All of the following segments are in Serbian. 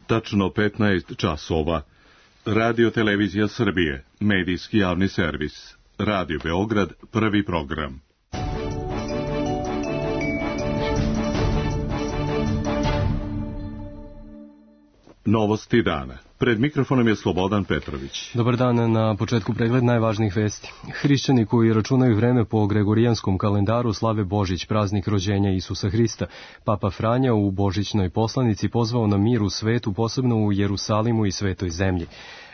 Tačno 15 časova. Radio Televizija Srbije, medijski javni servis. Radio Beograd, prvi program. Novosti dana. Pred mikrofonom je Slobodan Petrović. Dobar dan, na početku pregled najvažnijih vesti. Hrišćani koji računaju vreme po gregorijanskom kalendaru slave Božić, praznik rođenja Isusa Hrista. Papa Franja u božićnoj poslanici pozvao na mir u svetu, posebno u Jerusalimu i Svetoj zemlji.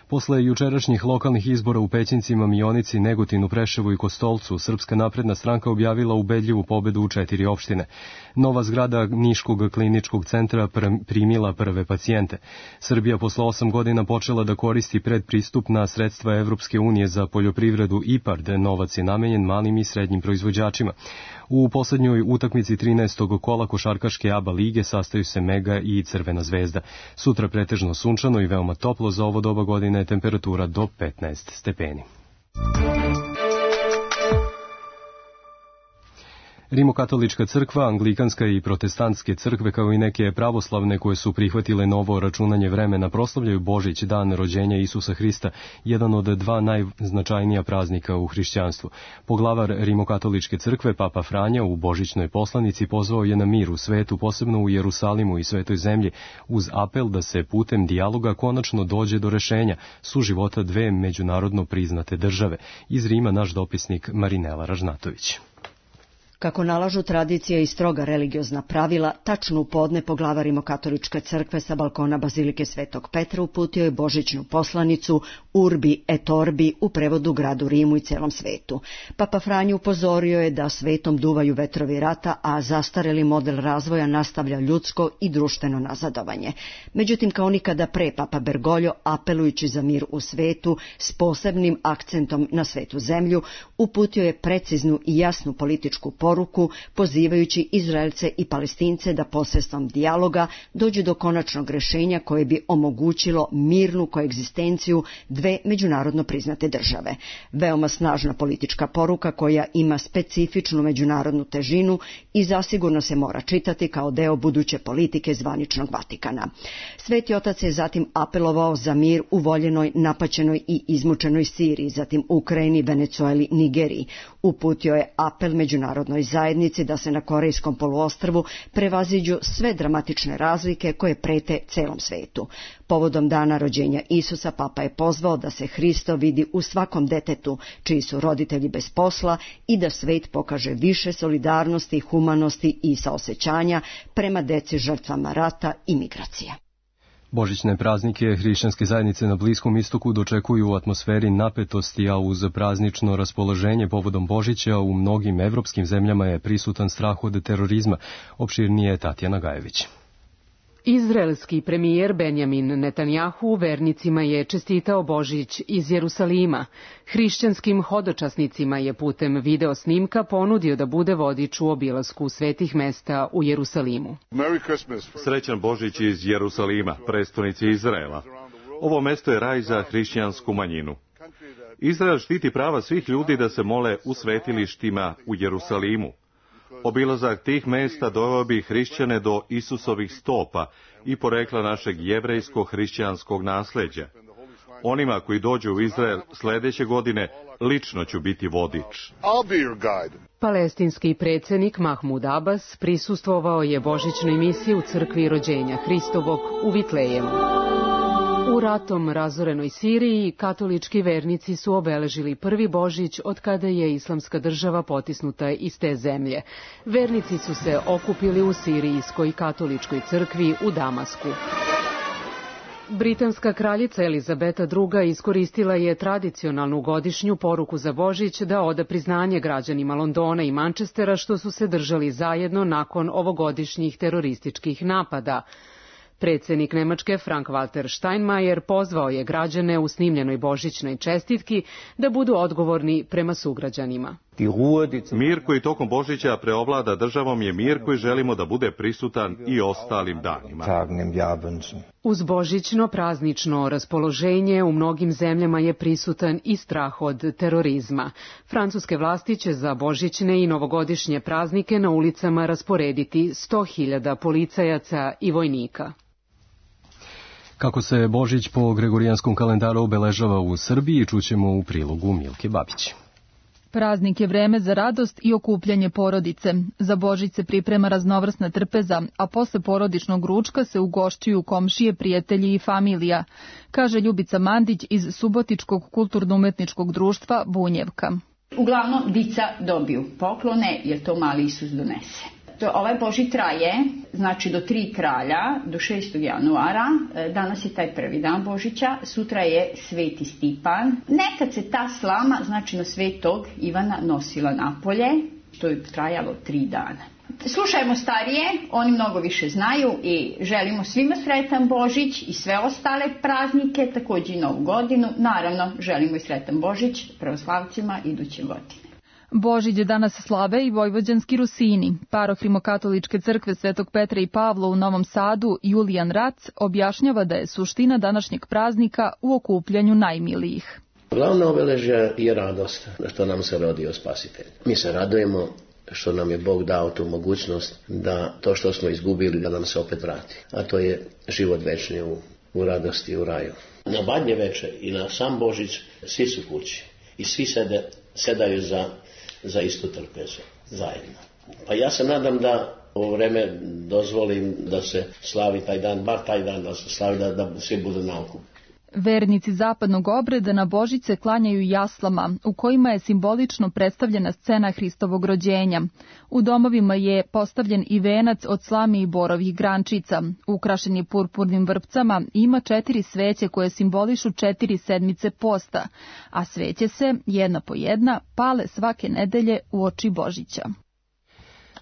Posle jučerašnjih lokalnih izbora u Pećincima, Mionici, Negotinu, Preševu i Kostolcu, Srpska napredna stranka objavila ubedljivu pobedu u 4 opštine. Nova zgrada Niškog kliničkog centra primila prve pacijente. Srbija posle 8 godina počela da koristi predpristupna sredstva Evropske unije za poljoprivredu IPARD. Novac je namenjen malim i srednjim proizvođačima. U poslednjoj utakmici 13. kola košarkaške ABA lige sastaju se Mega i Crvena zvezda. Sutra pretežno sunčano i veoma toplo, za ovo doba godine temperatura do 15 stepeni. Rimokatolička crkva, anglikanska i protestantske crkve, kao i neke pravoslavne koje su prihvatile novo računanje vremena, proslavljaju Božić, dan rođenja Isusa Hrista, jedan od 2 najznačajnija praznika u hrišćanstvu. Poglavar Rimokatoličke crkve, Papa Franja, u božićnoj poslanici pozvao je na mir u svetu, posebno u Jerusalimu i Svetoj zemlji, uz apel da se putem dijaloga konačno dođe do rešenja suživota 2 međunarodno priznate države. Iz Rima naš dopisnik Marinela Ražnatović. Kako nalažu tradicija i stroga religiozna pravila, tačno u podne poglavar Rimokatoličke crkve sa balkona Bazilike Svetog Petra uputio je božićnu poslanicu Urbi et Orbi, u prevodu gradu Rimu i celom svetu. Papa Franjo upozorio je da svetom duvaju vetrovi rata, a zastareli model razvoja nastavlja ljudsko i društveno nazadovanje. Međutim, kao nikada pre, Papa Bergoglio, apelujući za mir u svetu s posebnim akcentom na Svetu zemlju, uputio je preciznu i jasnu političku poruku, pozivajući Izraelce i Palestince da posredstvom dijaloga dođu do konačnog rešenja koje bi omogućilo mirnu koegzistenciju 2 međunarodno priznate države. Veoma snažna politička poruka koja ima specifičnu međunarodnu težinu i zasigurno se mora čitati kao deo buduće politike zvaničnog Vatikana. Sveti otac je zatim apelovao za mir u voljenoj, napaćenoj i izmučenoj Siriji, zatim Ukrajini, Venecueli, Nigeriji. Uputio je apel međunarodnoj zajednici da se na Korejskom poluostrvu prevaziđu sve dramatične razlike koje prete celom svetu. Povodom dana rođenja Isusa, Papa je pozvao da se Hristo vidi u svakom detetu čiji su roditelji bez posla i da svet pokaže više solidarnosti, humanosti i saosećanja prema deci žrtvama rata i migracija. Božićne praznike hrišćanske zajednice na Bliskom istoku dočekuju u atmosferi napetosti, a uz praznično raspoloženje povodom Božića u mnogim evropskim zemljama je prisutan strah od terorizma. Opširnije Tatjana Gajević. Izraelski premijer Benjamin Netanjahu vernicima je čestitao Božić iz Jerusalima. Hrišćanskim hodočasnicima je putem video snimka ponudio da bude vodič u obilasku svetih mesta u Jerusalimu. Srećan Božić iz Jerusalima, prestonice Izraela. Ovo mesto je raj za hrišćansku manjinu. Izrael štiti prava svih ljudi da se mole u svetilištima u Jerusalimu. Obilazak tih mesta doveo bi hrišćane do Isusovih stopa i porekla našeg jevrejsko-hrišćanskog nasleđa. Onima koji dođu u Izrael sledeće godine lično ću biti vodič. Palestinski predsjednik Mahmud Abbas prisustvovao je božićnoj misiji u crkvi rođenja Hristovog u Vitlejemu. U ratom razorenoj Siriji katolički vernici su obeležili prvi Božić od kada je islamska država potisnuta iz te zemlje. Vernici su se okupili u sirijskoj katoličkoj crkvi u Damasku. Britanska kraljica Elizabeta II. Iskoristila je tradicionalnu godišnju poruku za Božić da oda priznanje građanima Londona i Manchestera što su se držali zajedno nakon ovogodišnjih terorističkih napada. Predsjednik Nemačke Frank-Walter Steinmeier pozvao je građane u snimljenoj božićnoj čestitki da budu odgovorni prema sugrađanima. Mir koji tokom Božića preovlada državom je mir koji želimo da bude prisutan i ostalim danima. Uz božićno praznično raspoloženje u mnogim zemljama je prisutan i strah od terorizma. Francuske vlasti će za božićne i novogodišnje praznike na ulicama rasporediti 100.000 policajaca i vojnika. Kako se Božić po gregorijanskom kalendaru obeležava u Srbiji, čućemo u prilogu Milke Babić. Praznik je vreme za radost i okupljanje porodice. Za Božić se priprema raznovrsna trpeza, a posle porodičnog ručka se ugošćuju komšije, prijatelji i familija, kaže Ljubica Mandić iz Subotičkog kulturno-umetničkog društva Bunjevka. Uglavnom, dica dobiju poklone jer to mali Isus donese. Ovaj Božić traje, znači do 3 kralja, do 6. januara, danas je taj prvi dan Božića, sutra je Sveti Stipan. Nekad se ta slama, znači na Svetog Ivana, nosila napolje, to je trajalo 3 dana. Slušajmo starije, oni mnogo više znaju i želimo svima sretan Božić i sve ostale praznike, također i Novu godinu. Naravno, želimo i sretan Božić pravoslavcima iduće godine. Božić danas slave i vojvođanski Rusini. Paroh Rimokatoličke crkve Svetog Petra i Pavla u Novom Sadu, Julijan Rac, objašnjava da je suština današnjeg praznika u okupljanju najmilijih. Glavna obeležja je radost što nam se rodio Spasitelj. Mi se radujemo što nam je Bog dao tu mogućnost da to što smo izgubili da nam se opet vrati. A to je život večni u radosti u raju. Na Badnje veče i na sam Božić svi su kući i svi sedaju za istu trpezu zajedno. Pa ja se nadam da ovo vreme dozvolim da se slavi taj dan, bar taj dan da se slavi, da svi budu na okupu. Vernici zapadnog obreda na Božić se klanjaju jaslama, u kojima je simbolično predstavljena scena Hristovog rođenja. U domovima je postavljen i venac od slame i borovih grančica. Ukrašen je purpurnim vrpcama i ima 4 sveće koje simbolišu 4 sedmice posta, a sveće se, jedna po jedna, pale svake nedelje uoči Božića.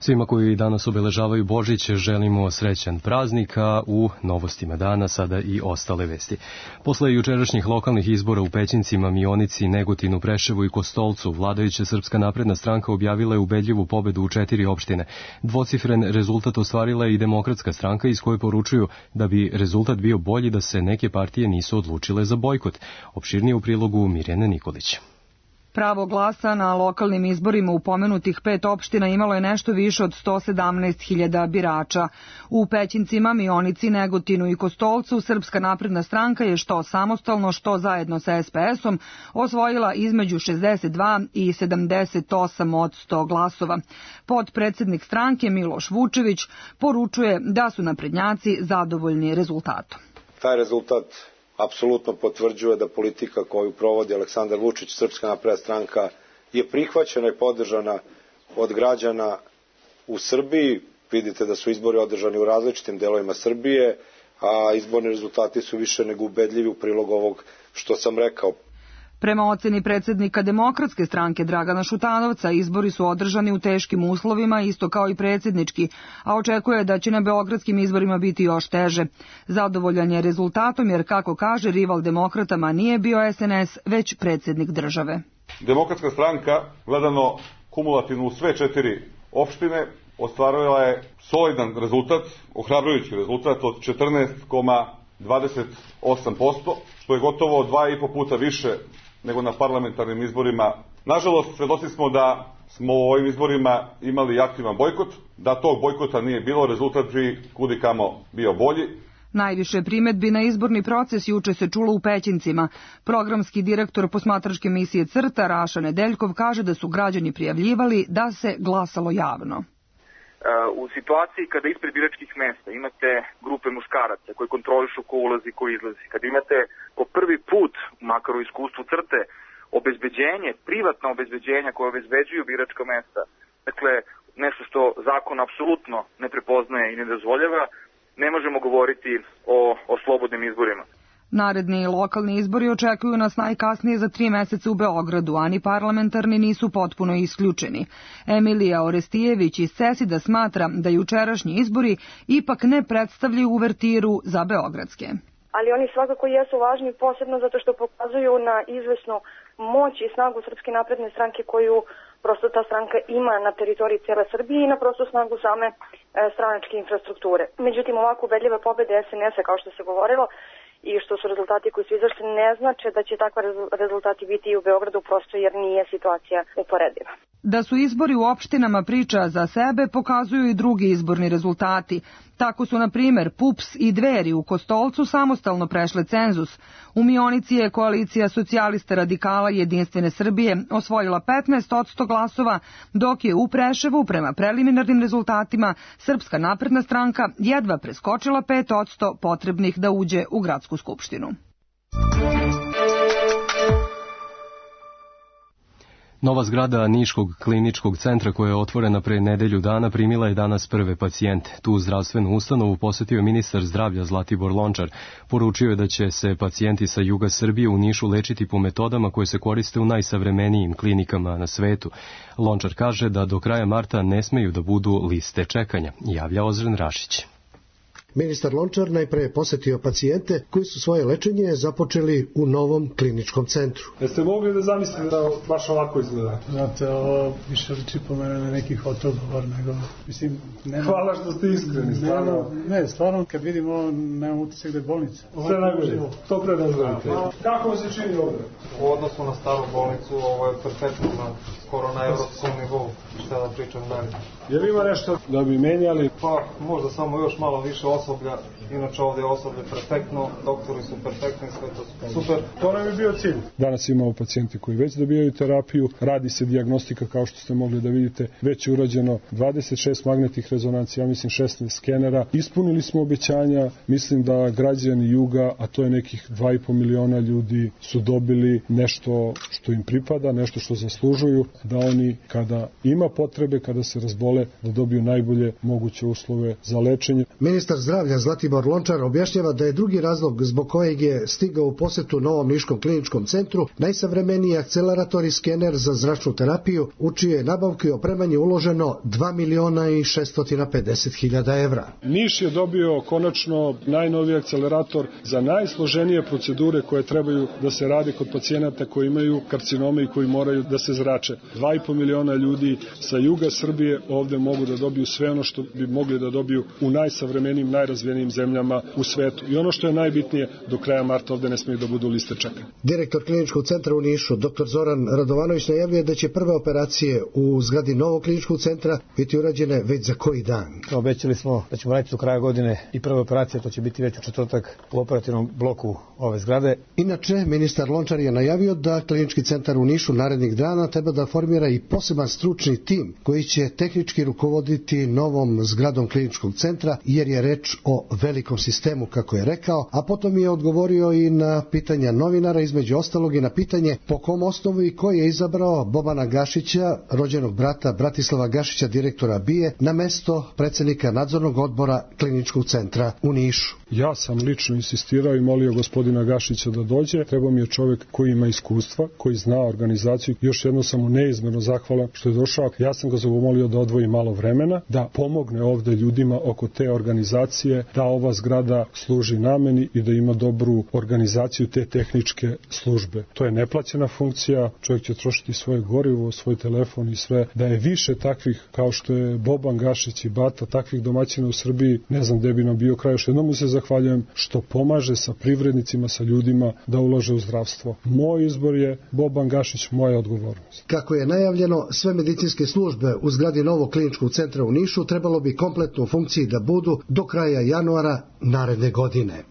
Svima koji danas obeležavaju Božić želimo srećan praznik, a u novostima dana sada i ostale vesti. Posle jučerašnjih lokalnih izbora u Pećincima, Mionici, Negotinu, Preševu i Kostolcu, vladajuća Srpska napredna stranka objavila je ubedljivu pobedu u 4 opštine. Dvocifren rezultat ostvarila je i Demokratska stranka, iz koje poručuju da bi rezultat bio bolji da se neke partije nisu odlučile za bojkot. Opširnije u prilogu Mirjane Nikolić. Pravo glasa na lokalnim izborima u pomenutih 5 opština imalo je nešto više od 117.000 birača. U Pećincima, Mionici, Negotinu i Kostolcu Srpska napredna stranka je što samostalno, što zajedno sa SPS-om osvojila između 62 i 78% glasova. Potpredsednik stranke Miloš Vučević poručuje da su naprednjaci zadovoljni rezultatom. Taj rezultat apsolutno potvrđuje da politika koju provodi Aleksandar Vučić, Srpska napredna stranka, je prihvaćena i podržana od građana u Srbiji. Vidite da su izbori održani u različitim delovima Srbije, a izborni rezultati su više nego ubedljivi u prilog ovog što sam rekao. Prema oceni predsjednika Demokratske stranke Dragana Šutanovca, izbori su održani u teškim uslovima, isto kao i predsjednički, a očekuje da će na beogradskim izborima biti još teže. Zadovoljan je rezultatom jer, kako kaže, rival demokratama nije bio SNS, već predsjednik države. Demokratska stranka, gledano kumulativno u sve 4 opštine, ostvarila je solidan rezultat, ohrabrujući rezultat od 14,28%, što je gotovo 2,5 puta više nego na parlamentarnim izborima. Nažalost, svedoci smo da smo u ovim izborima imali aktivan bojkot, da tog bojkota nije bilo, rezultat bi kudikamo bio bolji. Najviše primedbi na izborni proces juče se čulo u Pećincima. Programski direktor posmatračke misije CRTA Raša Nedeljkov kaže da su građani prijavljivali da se glasalo javno. U situaciji kada ispred biračkih mesta imate grupe muškaraca koji kontrolišu ko ulazi, ko izlazi, kada imate po prvi put, makar u iskustvu CRTE, obezbeđenje, privatna obezbeđenja koje obezbeđuju biračka mesta, dakle nešto što zakon apsolutno ne prepoznaje i ne dozvoljava, ne možemo govoriti o slobodnim izborima. Naredni lokalni izbori očekuju nas najkasnije za 3 meseca u Beogradu, a ni parlamentarni nisu potpuno isključeni. Emilija Orestijević iz Cesida smatra da jučerašnji izbori ipak ne predstavljaju uvertiru za beogradske. Ali oni svakako jesu važni, posebno zato što pokazuju na izvesnu moć i snagu Srpske napredne stranke koju prosto ta stranka ima na teritoriji cijele Srbije i na prostu snagu same stranačke infrastrukture. Međutim, ovako ubedljive pobede SNS-a, kao što se govorilo, i što su rezultati koji su izašli, ne znače da će takva rezultati biti i u Beogradu, prosto jer nije situacija uporediva. Da su izbori u opštinama priča za sebe pokazuju i drugi izborni rezultati. Tako su, na primer, PUPS i Dveri u Kostolcu samostalno prešle cenzus. U Mionici je koalicija socijalista radikala i Jedinstvene Srbije osvojila 15% glasova, dok je u Preševu, prema preliminarnim rezultatima, Srpska napredna stranka jedva preskočila 5% potrebnih da uđe u gradsku skupštinu. Nova zgrada Niškog kliničkog centra koja je otvorena pre nedelju dana primila je danas prve pacijente. Tu zdravstvenu ustanovu posetio ministar zdravlja Zlatibor Lončar. Poručio je da će se pacijenti sa juga Srbije u Nišu lečiti po metodama koje se koriste u najsavremenijim klinikama na svetu. Lončar kaže da do kraja marta ne smeju da budu liste čekanja, javlja Ozren Rašić. Ministar Lončar najpre je posetio pacijente koji su svoje lečenje započeli u novom kliničkom centru. Jeste mogli da zamislite da baš ovako izgleda? Znate, ovo više liči po mene na neki fotogovor nego... Mislim, hvala što ste iskreni, stvarno. Ne, stvarno, kad vidim ovo, nemam utisak da je bolnica. Sve najbolje, to pre da znate. Kako vam se čini ovdje? U odnosu na staru bolnicu, ovo je perfektno skoro na evropskom nivou, šta da pričam dalje. Je li ima nešto da bi menjali? Pa, možda samo još malo više osoblja, inače ovdje je osoblje perfektno, doktori su perfektni, sve to super. To nam je bio cilj. Danas imamo pacijenti koji već dobijaju terapiju, radi se dijagnostika kao što ste mogli da vidite, već je urađeno 26 magnetnih rezonancija, ja mislim 16 skenera. Ispunili smo obećanja, mislim da građani juga, a to je nekih 2,5 miliona ljudi, su dobili nešto što im pripada, nešto što zaslužuju, da oni kada ima potrebe, kada se razbole, da dobiju najbolje moguće uslove za lečenje. Ministar zdravlja Zlatibor Lončar objašnjava da je drugi razlog zbog kojeg je stigao u posetu novom Niškom kliničkom centru najsavremeniji akcelerator i skener za zračnu terapiju, u čije nabavke i opremanje uloženo 2.650.000 evra. Niš je dobio konačno najnoviji akcelerator za najsloženije procedure koje trebaju da se rade kod pacijenata koji imaju karcinome i koji moraju da se zrače. 2,5 miliona ljudi sa juga Srbije ovde mogu da dobiju sve ono što bi mogli da dobiju u najsavremenijim, najrazvijenijim zemljama u svetu. I ono što je najbitnije, do kraja marta ovde ne smiju da budu liste čekanja. Direktor kliničkog centra u Nišu, dr. Zoran Radovanović, najavljuje da će prve operacije u zgradi novog kliničkog centra biti urađene već za koji dan. Obećali smo da ćemo raditi do kraja godine i prve operacije, to će biti već u četvrtak u operativnom bloku ove zgrade. Inače, ministar Lončar je najavio da klinički centar u Nišu narednih dana treba da formira i poseban stručni tim koji će tehnički rukovoditi novom zgradom kliničkog centra, jer je reč o velikom sistemu, kako je rekao, a potom je odgovorio i na pitanja novinara, između ostalog i na pitanje po kom osnovu i ko je izabrao Bobana Gašića, rođenog brata Bratislava Gašića, direktora BIA, na mesto predsjednika nadzornog odbora kliničkog centra u Nišu. Ja sam lično insistirao i molio gospodina Gašića da dođe. Treba mi je čovjek koji ima iskustva, koji zna organizaciju. Još jedno sam mu neizmjerno zahvalan što je došao. Ja sam ga zamolio da odvoji malo vremena, da pomogne ovde ljudima oko te organizacije, da ova zgrada služi nameni i da ima dobru organizaciju te tehničke službe. To je neplaćena funkcija, čovjek će trošiti svoje gorivo, svoj telefon i sve. Da je više takvih kao što je Boban Gašić i Bata, takvih domaćina u Srbiji, ne znam gde bi nam bio kraj. Još jednom mu se zahvaljujem što pomaže sa privrednicima, sa ljudima da ulaže u zdravstvo. Moj izbor je Boban Gašić, moja odgovornost. Kako je najavljeno, sve medicinske službe u zgradi novog kliničkog centra u Nišu trebalo bi kompletno u funkciji da budu do kraja januara naredne godine.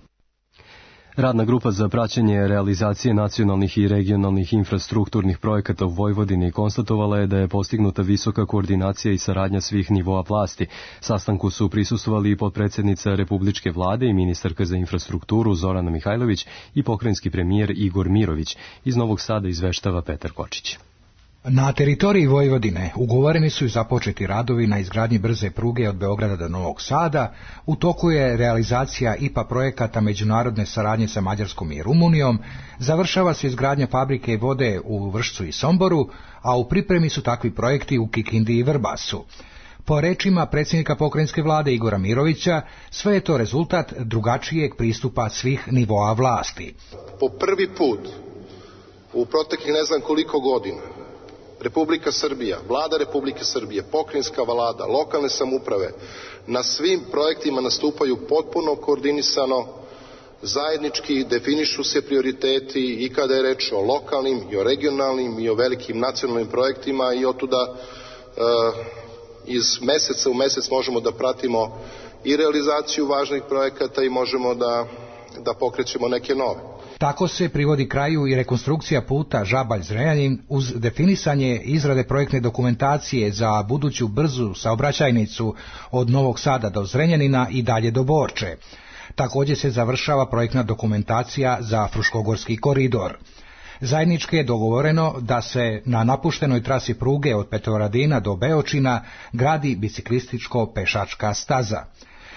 Radna grupa za praćenje realizacije nacionalnih i regionalnih infrastrukturnih projekata u Vojvodini konstatovala je da je postignuta visoka koordinacija i saradnja svih nivoa vlasti. Sastanku su prisustvovali i potpredsjednica Republičke vlade i ministarka za infrastrukturu Zorana Mihajlović i pokrajinski premijer Igor Mirović. Iz Novog Sada izveštava Petar Kočić. Na teritoriji Vojvodine ugovoreni su i započeti radovi na izgradnji brze pruge od Beograda do Novog Sada, u toku je realizacija IPA projekata međunarodne saradnje sa Mađarskom i Rumunijom, završava se izgradnja fabrike vode u Vršcu i Somboru, a u pripremi su takvi projekti u Kikindi i Vrbasu. Po rečima predsjednika pokrajinske vlade Igora Mirovića, sve je to rezultat drugačijeg pristupa svih nivoa vlasti. Po prvi put u proteklih ne znam koliko godina Republika Srbija, vlada Republike Srbije, pokrajinska vlada, lokalne samouprave na svim projektima nastupaju potpuno koordinisano, zajednički definišu se prioriteti i kada je reč o lokalnim i o regionalnim i o velikim nacionalnim projektima i otuda iz meseca u mesec možemo da pratimo i realizaciju važnih projekata i možemo da pokrećemo neke nove. Tako se privodi kraju i rekonstrukcija puta Žabalj-Zrenjanin uz definisanje izrade projektne dokumentacije za buduću brzu saobraćajnicu od Novog Sada do Zrenjanina i dalje do Borče. Također se završava projektna dokumentacija za Fruškogorski koridor. Zajednički je dogovoreno da se na napuštenoj trasi pruge od Petrovaradina do Beočina gradi biciklističko-pešačka staza.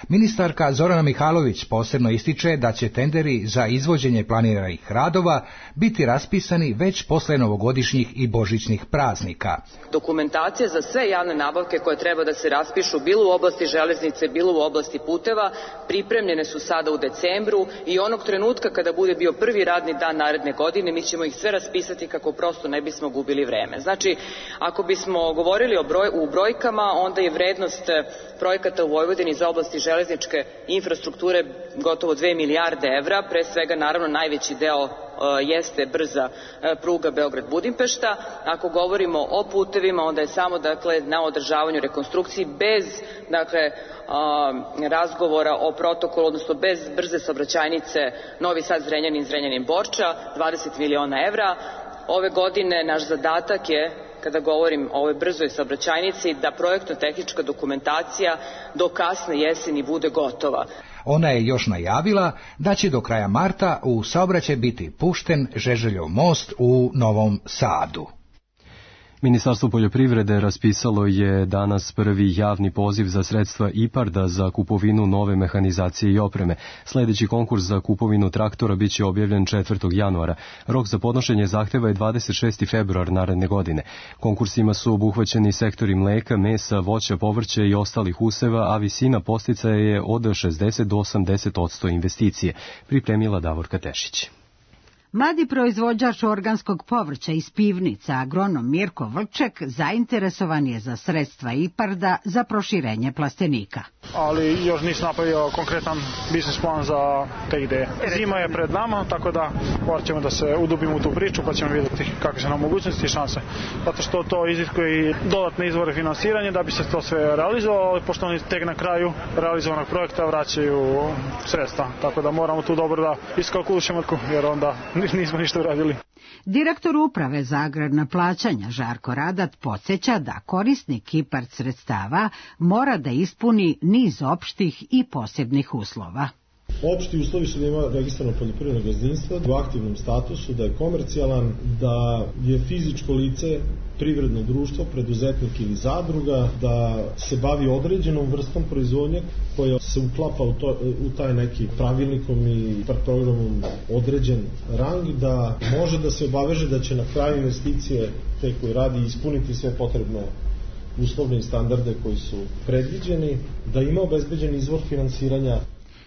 Ministarka Zorana Mihajlović posebno ističe da će tenderi za izvođenje planiranih radova biti raspisani već posle novogodišnjih i božićnih praznika. Dokumentacija za sve javne nabavke koje treba da se raspišu bilo u oblasti železnice, bilo u oblasti puteva, pripremljene su sada u decembru i onog trenutka kada bude bio prvi radni dan naredne godine mi ćemo ih sve raspisati kako prosto ne bismo gubili vreme. Znači, ako bismo govorili u brojkama, onda je vrednost projekata u Vojvodini za oblasti železničke infrastrukture gotovo 2 milijarde evra, pre svega naravno najveći deo jeste brza pruga Beograd-Budimpešta. Ako govorimo o putevima, onda je samo na održavanju rekonstrukciji bez razgovora o protokolu, odnosno bez brze saobraćajnice Novi Sad-Zrenjanin, Zrenjanin-Borča, 20 miliona evra. Ove godine naš zadatak je, kada govorim o ovoj brzoj saobraćajnici, da projektno-tehnička dokumentacija do kasne jeseni bude gotova. Ona je još najavila da će do kraja marta u saobraćaj biti pušten Žeželjov most u Novom Sadu. Ministarstvo poljoprivrede raspisalo je danas prvi javni poziv za sredstva IPARD-a za kupovinu nove mehanizacije i opreme. Sljedeći konkurs za kupovinu traktora biće objavljen 4. januara. Rok za podnošenje zahteva je 26. februar naredne godine. Konkursima su obuhvaćeni sektori mleka, mesa, voća, povrća i ostalih useva, a visina podsticaja je od 60 do 80% investicije. Pripremila Davorka Tešić. Mladi proizvođač organskog povrća iz Pivnica, agronom Mirko Vrček, zainteresovan je za sredstva IPARD-a za proširenje plastenika. Ali još nisam napravio konkretan biznis plan za te ideje. Zima je pred nama, tako da morat ćemo da se udubimo u tu priču pa ćemo vidjeti kakve su nam mogućnosti i šanse. Zato što to iziskuje i dodatne izvore finansiranja da bi se to sve realizovalo, ali pošto oni tek na kraju realizovanog projekta vraćaju sredstva. Tako da moramo tu dobro da iskalkulišemo jer onda nismo ništa uradili. Direktor uprave za agrarna plaćanja Žarko Radat podsjeća da korisnik IPARD sredstava mora da ispuni niz opštih i posebnih uslova. Opšti uslovi su da ima registrovano poljoprivredno gazdinstvo u aktivnom statusu, da je komercijalan, da je fizičko lice, privredno društvo, preduzetnik ili zadruga, da se bavi određenom vrstom proizvodnje koja se uklapa u taj neki pravilnikom i programom određen rang, da može da se obaveže da će na kraju investicije te koji radi ispuniti sve potrebne uslovne i standarde koji su predviđeni, da ima obezbeđen izvor finansiranja.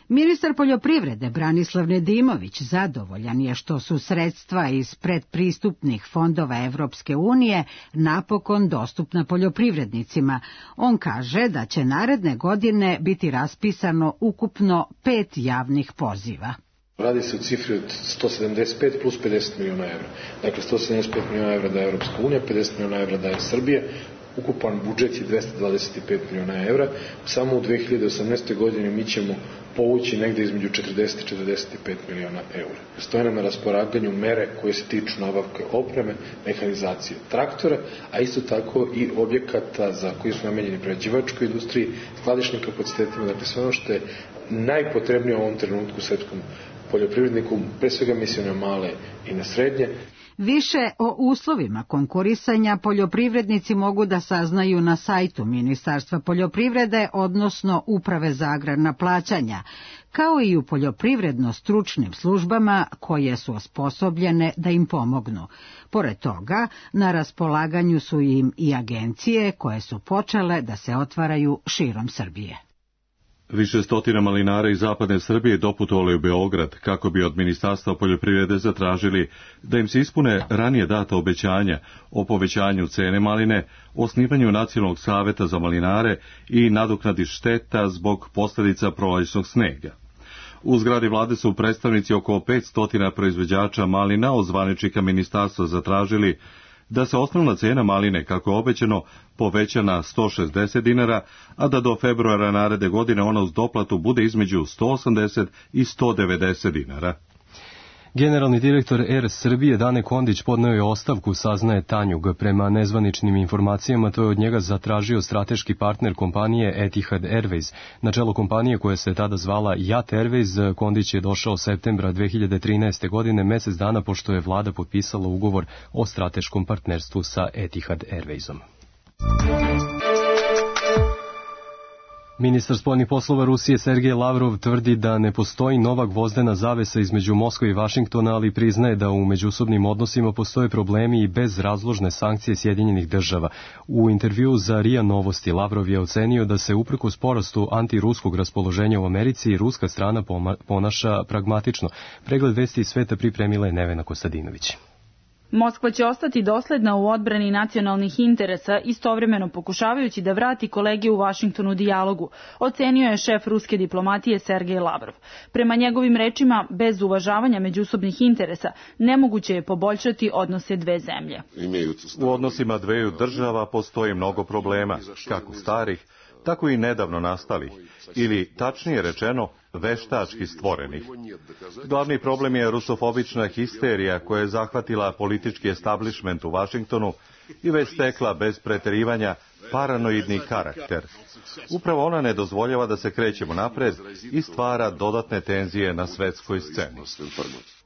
Ministar poljoprivrede Branislav Nedimović zadovoljan je što su sredstva iz predpristupnih fondova Evropske unije napokon dostupna poljoprivrednicima. On kaže da će naredne godine biti raspisano ukupno 5 javnih poziva. Radi se o cifri od 175 plus 50 miliona evra. Dakle, 175 miliona evra daje Evropska unija, 50 miliona evra daje Srbija. Ukupan budžet je 225 miliona evra. Samo u 2018. godini mi ćemo povući negde između 40 i 45 miliona evra. Stoje nam na raspolaganju mere koje se tiču nabavke opreme, mehanizacije traktora, a isto tako i objekata za koji su namenjeni prerađivačkoj industriji, skladišnim kapacitetima, dakle sve ono što je najpotrebnije u ovom trenutku srpskom poljoprivredniku, pre svega mislim na male i na srednje. Više o uslovima konkurisanja poljoprivrednici mogu da saznaju na sajtu Ministarstva poljoprivrede, odnosno Uprave za agrarna plaćanja, kao i u poljoprivredno-stručnim službama koje su osposobljene da im pomognu. Pored toga, na raspolaganju su im i agencije koje su počele da se otvaraju širom Srbije. Više stotina malinara iz zapadne Srbije doputovali u Beograd kako bi od Ministarstva poljoprivrede zatražili da im se ispune ranije data obećanja o povećanju cene maline, osnivanju Nacionalnog saveta za malinare i nadoknadi šteta zbog posljedica prolećnog snega. U zgradi vlade su predstavnici oko 500 proizvođača malina od zvaničnika ministarstva zatražili da se osnovna cena maline, kako je obećano, poveća na 160 dinara, a da do februara naredne godine ona uz doplatu bude između 180 i 190 dinara. Generalni direktor Er Srbije Dane Kondić podneo je ostavku, saznaje Tanjug. Prema nezvaničnim informacijama to je od njega zatražio strateški partner kompanije Etihad Airways. Na čelo kompanije koja se tada zvala Jat Airways, Kondić je došao septembra 2013. godine, mesec dana pošto je vlada potpisala ugovor o strateškom partnerstvu sa Etihad Airwaysom. Ministar spoljnih poslova Rusije Sergej Lavrov tvrdi da ne postoji nova gvozdena zavesa između Moskve i Vašingtona, ali priznaje da u međusobnim odnosima postoje problemi i bez razložne sankcije Sjedinjenih država. U intervjuu za RIA Novosti Lavrov je ocenio da se uprkos porastu antiruskog raspoloženja u Americi ruska strana ponaša pragmatično. Pregled vesti iz sveta pripremila je Nevena Kostadinović. Moskva će ostati dosledna u odbrani nacionalnih interesa, istovremeno pokušavajući da vrati kolege u Vašingtonu dijalogu, ocenio je šef ruske diplomatije Sergej Lavrov. Prema njegovim rečima, bez uvažavanja međusobnih interesa, nemoguće je poboljšati odnose dve zemlje. U odnosima dveju država postoji mnogo problema, kako starih, tako i nedavno nastalih, ili, tačnije rečeno, veštački stvorenih. Glavni problem je rusofobična histerija koja je zahvatila politički establishment u Vašingtonu i već stekla bez preterivanja paranoidni karakter. Upravo ona ne dozvoljava da se krećemo napred i stvara dodatne tenzije na svetskoj sceni.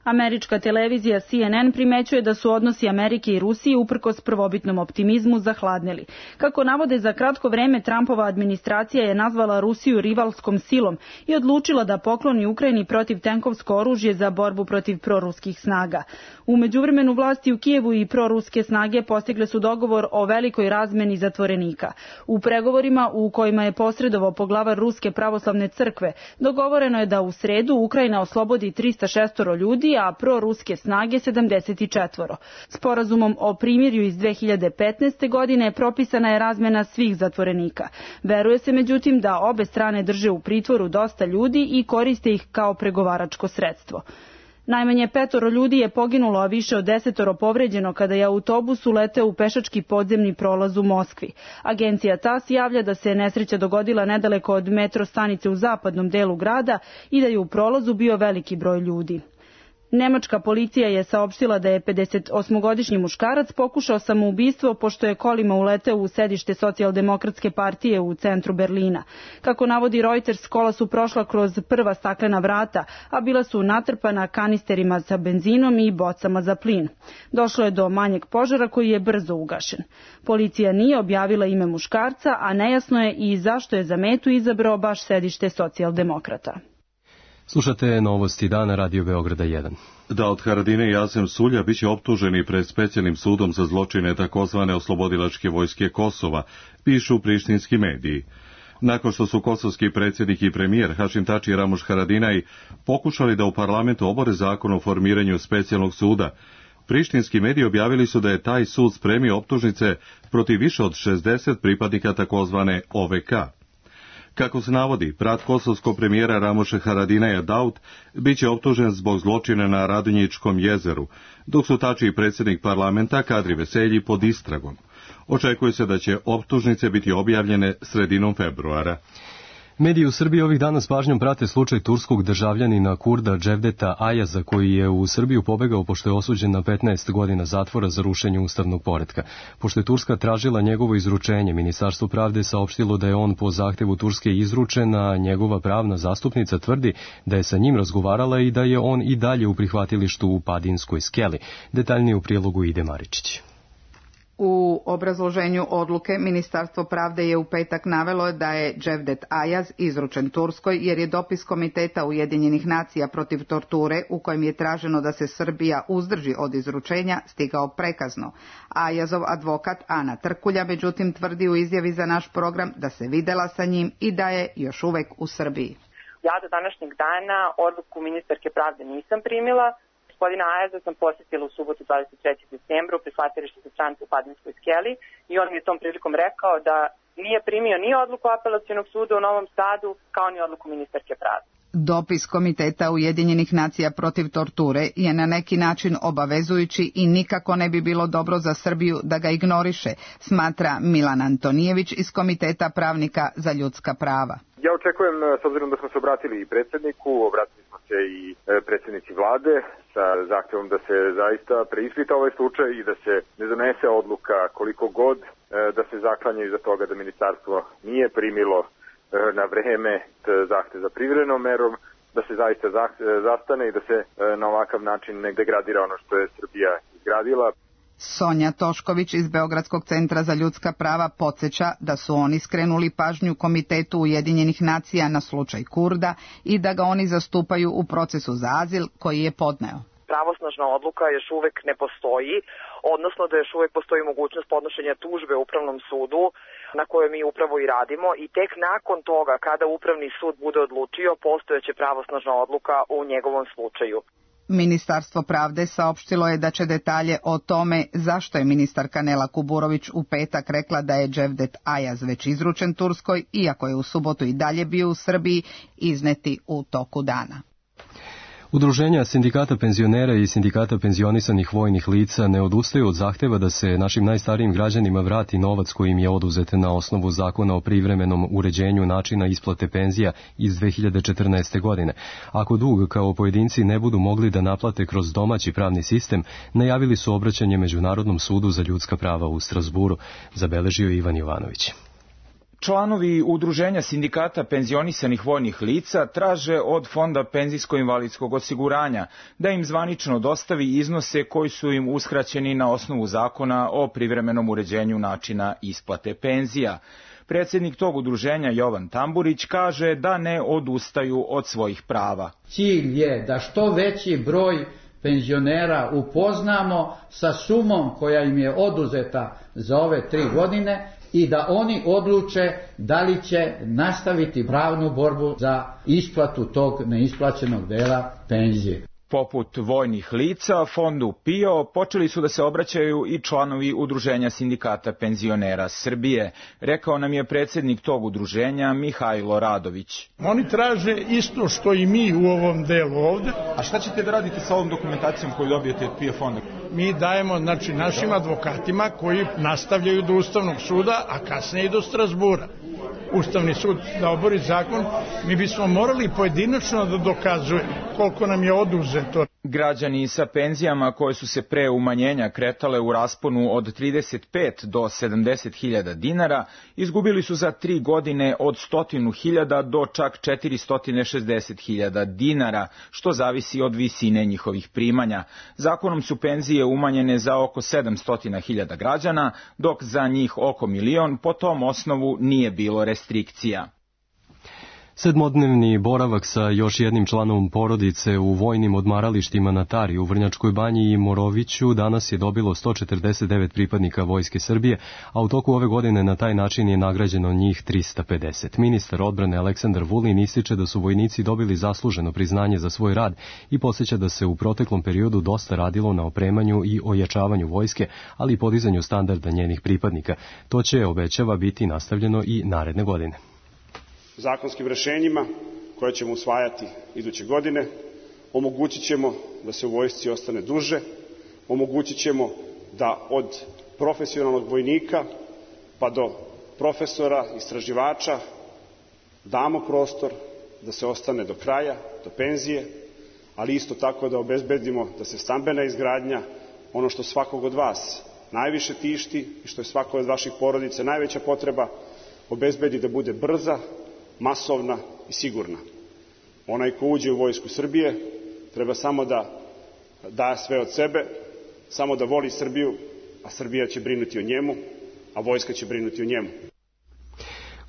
Američka televizija CNN primećuje da su odnosi Amerike i Rusije uprkos prvobitnom optimizmu zahladnili. Kako navode, za kratko vreme Trumpova administracija je nazvala Rusiju rivalskom silom i odlučila da pokloni Ukrajini protivtenkovsko oružje za borbu protiv proruskih snaga. U međuvremenu vlasti u Kijevu i proruske snage postigle su dogovor o velikoj razmeni zatvorenika. U pregovorima u kojima je posredovao poglavar Ruske pravoslavne crkve, dogovoreno je da u sredu Ukrajina oslobodi 306 ljudi, a proruske snage 74. Sporazumom o primirju iz 2015. godine propisana je razmena svih zatvorenika. Veruje se međutim da obe strane drže u pritvoru dosta ljudi i koriste ih kao pregovaračko sredstvo. Najmanje 5 ljudi je poginulo, a više od 10 povređeno kada je autobus uleteo u pešački podzemni prolaz u Moskvi. Agencija TASS javlja da se nesreća dogodila nedaleko od metro stanice u zapadnom delu grada i da je u prolazu bio veliki broj ljudi. Nemačka policija je saopštila da je 58-godišnji muškarac pokušao samoubistvo pošto je kolima uleteo u sedište Socijaldemokratske partije u centru Berlina. Kako navodi Reuters, kola su prošla kroz prva staklena vrata, a bila su natrpana kanisterima sa benzinom i bocama za plin. Došlo je do manjeg požara koji je brzo ugašen. Policija nije objavila ime muškarca, a nejasno je i zašto je za metu izabrao baš sedište Socijaldemokrata. Slušate novosti dana Radio Beograda 1. Daud Haradinaj i Asem Sulja biće optuženi pred specijalnim sudom za zločine takozvane oslobodilačke vojske Kosova, pišu prištinski mediji. Nakon što su kosovski predsjednik i premijer Hašim Tači i Ramuš Haradinaj pokušali da u parlamentu obore zakon o formiranju specijalnog suda, prištinski mediji objavili su da je taj sud spremio optužnice protiv više od 60 pripadnika takozvane OVK. Kako se navodi, brat kosovskog premijera Ramuša Haradinaja Daud biće optužen zbog zločina na Radonjičkom jezeru, dok su Tači i predsjednik parlamenta Kadri Veselji pod istragom. Očekuje se da će optužnice biti objavljene sredinom februara. Mediji u Srbiji ovih dana s pažnjom prate slučaj turskog državljanina Kurda Cevdeta Ajaza, koji je u Srbiju pobegao pošto je osuđen na 15 godina zatvora za rušenje ustavnog poretka. Pošto je Turska tražila njegovo izručenje, Ministarstvo pravde saopštilo da je on po zahtevu Turske izručen, a njegova pravna zastupnica tvrdi da je sa njim razgovarala i da je on i dalje u prihvatilištu u Padinskoj skeli. Detaljnije u prilogu Ide Maričić. U obrazloženju odluke Ministarstvo pravde je u petak navelo da je Cevdet Ajaz izručen Turskoj jer je dopis Komiteta Ujedinjenih nacija protiv torture u kojem je traženo da se Srbija uzdrži od izručenja stigao prekasno. Ajazov advokat Ana Trkulja međutim tvrdi u izjavi za naš program da se videla sa njim i da je još uvek u Srbiji. Ja do današnjeg dana odluku ministarke pravde nisam primila. Gospodina Ajaza sam posjetila u subotu 23. decembra u prihvatilištu za strance u Padinskoj skeli i on mi je tom prilikom rekao da nije primio ni odluku apelacionog suda u Novom Sadu kao ni odluku ministarke pravde. Dopis Komiteta Ujedinjenih nacija protiv torture je na neki način obavezujući i nikako ne bi bilo dobro za Srbiju da ga ignoriše, smatra Milan Antonijević iz Komiteta pravnika za ljudska prava. Ja očekujem, s obzirom da smo se obratili i predsjedniku, obratili smo se i predsjednici vlade sa zahtjevom da se zaista preispita ovaj slučaj i da se ne donese odluka koliko god da se zaklanja iza toga da ministarstvo nije primilo na vreme zahtjev za privremenom merom, da se zaista zastane i da se na ovakav način ne degradira ono što je Srbija izgradila. Sonja Tošković iz Beogradskog centra za ljudska prava podsjeća da su oni skrenuli pažnju Komitetu Ujedinjenih nacija na slučaj Kurda i da ga oni zastupaju u procesu za azil koji je podneo. Pravosnažna odluka još uvek ne postoji, odnosno da još uvek postoji mogućnost podnošenja tužbe Upravnom sudu na kojoj mi upravo i radimo i tek nakon toga kada Upravni sud bude odlučio postojeće pravosnažna odluka u njegovom slučaju. Ministarstvo pravde saopštilo je da će detalje o tome zašto je ministarka Nela Kuburović u petak rekla da je Cevdet Ayaz već izručen Turskoj, iako je u subotu i dalje bio u Srbiji, izneti u toku dana. Udruženja sindikata penzionera i sindikata penzionisanih vojnih lica ne odustaju od zahteva da se našim najstarijim građanima vrati novac koji im je oduzet na osnovu zakona o privremenom uređenju načina isplate penzija iz 2014. godine. Ako dug kao pojedinci ne budu mogli da naplate kroz domaći pravni sistem, najavili su obraćanje Međunarodnom sudu za ljudska prava u Strasburu, zabeležio Ivan Jovanović. Članovi Udruženja sindikata penzionisanih vojnih lica traže od Fonda penzijsko-invalidskog osiguranja da im zvanično dostavi iznose koji su im uskraćeni na osnovu zakona o privremenom uređenju načina isplate penzija. Predsjednik tog udruženja Jovan Tamburić kaže da ne odustaju od svojih prava. Cilj je da što veći broj penzionera upoznamo sa sumom koja im je oduzeta za ove 3 godine i da oni odluče da li će nastaviti pravnu borbu za isplatu tog neisplaćenog dela penzije. Poput vojnih lica, fondu PIO počeli su da se obraćaju i članovi Udruženja sindikata penzionera Srbije, rekao nam je predsjednik tog udruženja Mihajlo Radović. Oni traže isto što i mi u ovom delu ovde. A šta ćete da radite sa ovom dokumentacijom koju dobijete od PIO fonda? Mi dajemo našim advokatima koji nastavljaju do Ustavnog suda, a kasnije i do Strasbura. Ustavni sud da obori zakon, mi bismo morali pojedinačno da dokazujemo koliko nam je oduzeto. Građani sa penzijama koje su se pre umanjenja kretale u rasponu od 35 do 70.000 dinara, izgubili su za 3 godine od 100.000 do čak 460.000 dinara, što zavisi od visine njihovih primanja. Zakonom su penzije umanjene za oko 700.000 građana, dok za njih oko 1 milion po tom osnovu nije bilo restrikcija. 7-dnevni boravak sa još jednim članom porodice u vojnim odmaralištima na Tari u Vrnjačkoj banji i Moroviću danas je dobilo 149 pripadnika Vojske Srbije, a u toku ove godine na taj način je nagrađeno njih 350. Ministar odbrane Aleksandar Vulin ističe da su vojnici dobili zasluženo priznanje za svoj rad i podsjeća da se u proteklom periodu dosta radilo na opremanju i ojačavanju vojske, ali i podizanju standarda njenih pripadnika. To će, obećava, biti nastavljeno i naredne godine. Zakonskim rešenjima koje ćemo usvajati iduće godine omogućit ćemo da se u vojsci ostane duže, omogućit ćemo da od profesionalnog vojnika pa do profesora, istraživača damo prostor da se ostane do kraja, do penzije, ali isto tako da obezbedimo da se stambena izgradnja, ono što svakog od vas najviše tišti i što je svakog od vaših porodica najveća potreba, obezbedi da bude brza, masovna i sigurna. Onaj ko uđe u Vojsku Srbije treba samo da da sve od sebe, samo da voli Srbiju, a Srbija će brinuti o njemu, a vojska će brinuti o njemu.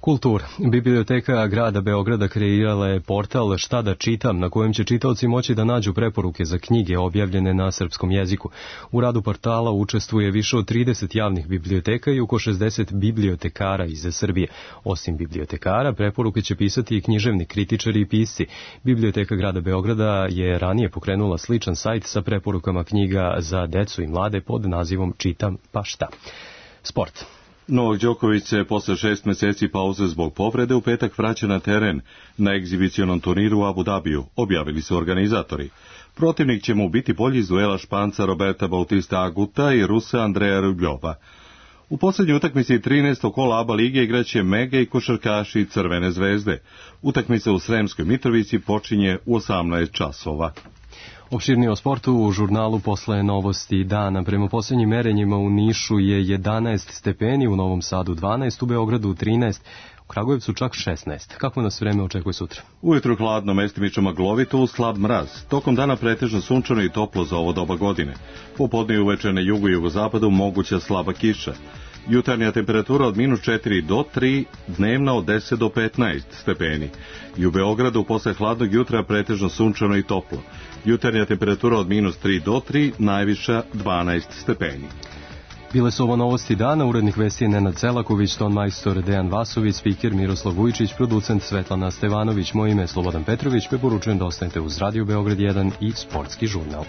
Kultura. Biblioteka grada Beograda kreirala je portal Šta da čitam, na kojem će čitaoci moći da nađu preporuke za knjige objavljene na srpskom jeziku. U radu portala učestvuje više od 30 javnih biblioteka i oko 60 bibliotekara iz Srbije. Osim bibliotekara, preporuke će pisati i književni kritičari i pisci. Biblioteka grada Beograda je ranije pokrenula sličan sajt sa preporukama knjiga za decu i mlade pod nazivom Čitam pa šta. Sport. Novak Đoković se posle 6 meseci pauze zbog povrede u petak vraća na teren na egzibicionom turniru u Abu Dhabiju, objavili su organizatori. Protivnik će mu biti bolji iz duela Španca Roberta Bautista Aguta i Rusa Andreja Rubljova. U posljednjoj utakmici 13. kola ABA lige igraće Mega i košarkaši Crvene zvezde. Utakmica u Sremskoj Mitrovici počinje u 18 časova. Opširnije o sportu u žurnalu posle novosti dana. Prema posljednjim merenjima u Nišu je 11 stepeni, u Novom Sadu 12, u Beogradu 13, u Kragujevcu čak 16. Kako nas vreme očekuje sutra? Ujutru hladno, mestimično maglovito, uz slab mraz. Tokom dana pretežno sunčano i toplo za ovo doba godine. Popodne i uveče na jugu i jugozapadu moguća slaba kiša. Jutarnja temperatura od -4 do 3, dnevna od 10 do 15 stepeni. I u Beogradu posle hladnog jutra pretežno sunčano i toplo. Jutarnja temperatura od -3 do 3, najviša 12 stepeni. Bile su ovo novosti dana, urednik vesti je Nenad Celaković, ton majstor Dejan Vasović, spiker Miroslav Vujčić, producent Svetlana Stevanović, moje ime je Slobodan Petrović, preporučujem da ostanete uz Radio Beograd 1 i Sportski žurnal.